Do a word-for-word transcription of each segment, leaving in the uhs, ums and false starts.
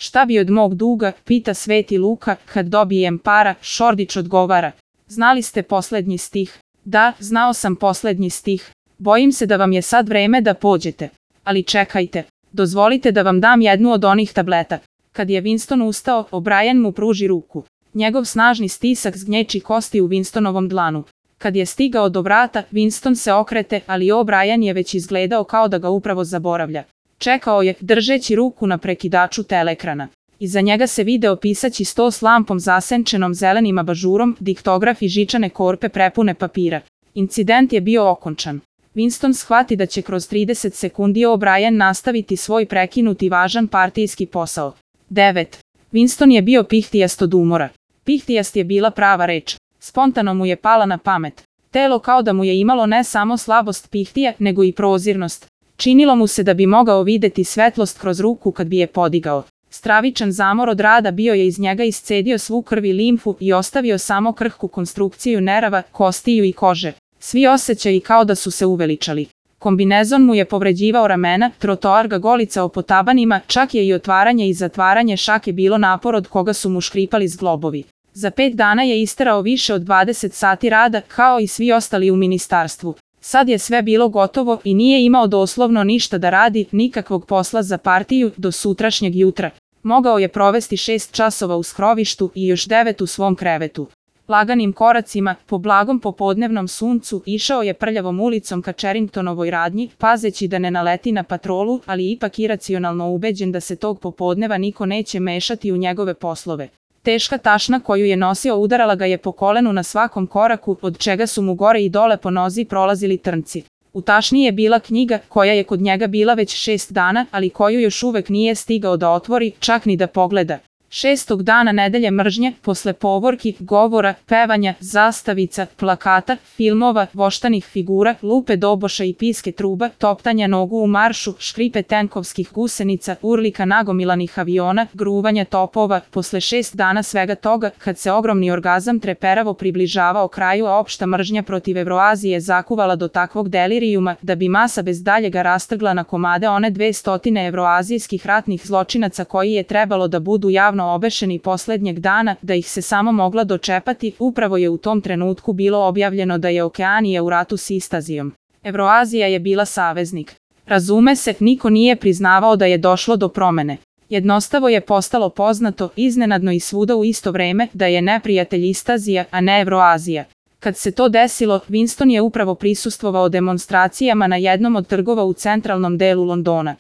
Šta bi od mog duga, pita Sveti Luka, kad dobijem para, Šordić odgovara. Znali ste poslednji stih? Da, znao sam poslednji stih. Bojim se da vam je sad vreme da pođete. Ali čekajte, dozvolite da vam dam jednu od onih tableta. Kad je Winston ustao, O'Brien mu pruži ruku. Njegov snažni stisak zgnječi kosti u Winstonovom dlanu. Kad je stigao do vrata, Winston se okrete, ali O'Brien je već izgledao kao da ga upravo zaboravlja. Čekao je, držeći ruku na prekidaču teleekrana. Iza njega se video pisaći sto s lampom zasenčenom zelenim abažurom, diktograf i žičane korpe prepune papira. Incident je bio okončan. Winston shvati da će kroz trideset sekundi O'Brien nastaviti svoj prekinuti važan partijski posao. devet. Winston je bio pihtijast od umora. Pihtijast je bila prava reč. Spontano mu je pala na pamet. Telo kao da mu je imalo ne samo slabost pihtija, nego i prozirnost. Činilo mu se da bi mogao videti svetlost kroz ruku kad bi je podigao. Stravičan zamor od rada bio je iz njega iscedio svu krv i limfu i ostavio samo krhku konstrukciju nerava, kostiju i kože. Svi osjećaji kao da su se uveličali. Kombinezon mu je povređivao ramena, trotoar ga golicao po tabanima, čak je i otvaranje i zatvaranje šake bilo napor od koga su mu škripali zglobovi. Za pet dana je isterao više od dvadeset sati rada, kao i svi ostali u ministarstvu. Sad je sve bilo gotovo i nije imao doslovno ništa da radi, nikakvog posla za partiju, do sutrašnjeg jutra. Mogao je provesti šest časova u skrovištu i još devet u svom krevetu. Laganim koracima, po blagom popodnevnom suncu, išao je prljavom ulicom ka Cheringtonovoj radnji, pazeći da ne naleti na patrolu, ali ipak iracionalno ubeđen da se tog popodneva niko neće mešati u njegove poslove. Teška tašna koju je nosio udarala ga je po kolenu na svakom koraku, od čega su mu gore i dole po nozi prolazili trnci. U tašni je bila knjiga, koja je kod njega bila već šest dana, ali koju još uvek nije stigao da otvori, čak ni da pogleda. Šestog dana nedelje mržnje, posle povorki, govora, pevanja, zastavica, plakata, filmova, voštanih figura, lupe doboša i piske truba, toptanja nogu u maršu, škripe tenkovskih gusenica, urlika nagomilanih aviona, gruvanja topova, posle šest dana svega toga, kad se ogromni orgazam treperavo približavao kraju, a opšta mržnja protiv Evroazije zakuvala do takvog delirijuma, da bi masa bez daljega rastrgla na komade one dve stotine evroazijskih ratnih zločinaca koji je trebalo da budu javno obešeni poslednjeg dana, da ih se samo mogla dočepati, upravo je u tom trenutku bilo objavljeno da je Okeanija u ratu s Istazijom. Evroazija je bila saveznik. Razume se, niko nije priznavao da je došlo do promene. Jednostavo je postalo poznato, iznenadno i svuda u isto vreme, da je neprijatelj Istazija, a ne Evroazija. Kad se to desilo, Winston je upravo prisustvovao demonstracijama na jednom od trgova u centralnom delu Londona.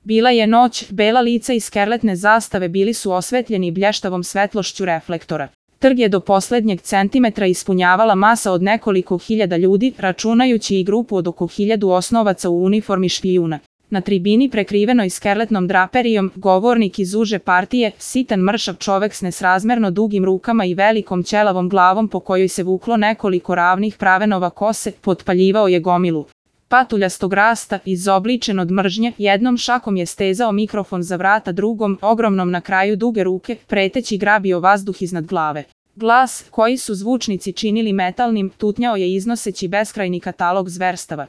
Bila je noć, bela lica i skerletne zastave bili su osvetljeni blještavom svetlošću reflektora. Trg je do poslednjeg centimetra ispunjavala masa od nekoliko hiljada ljudi, računajući i grupu od oko hiljadu osnovaca u uniformi špijuna. Na tribini prekrivenoj skerletnom draperijom, govornik iz uže partije, sitan mršav čovek s nesrazmerno dugim rukama i velikom ćelavom glavom po kojoj se vuklo nekoliko ravnih pravenova kose, potpaljivao je gomilu patuljastog rasta, izobličen od mržnje, jednom šakom je stezao mikrofon za vrata, drugom, ogromnom na kraju duge ruke, preteći grabio vazduh iznad glave. Glas, koji su zvučnici činili metalnim, tutnjao je iznoseći beskrajni katalog zverstava.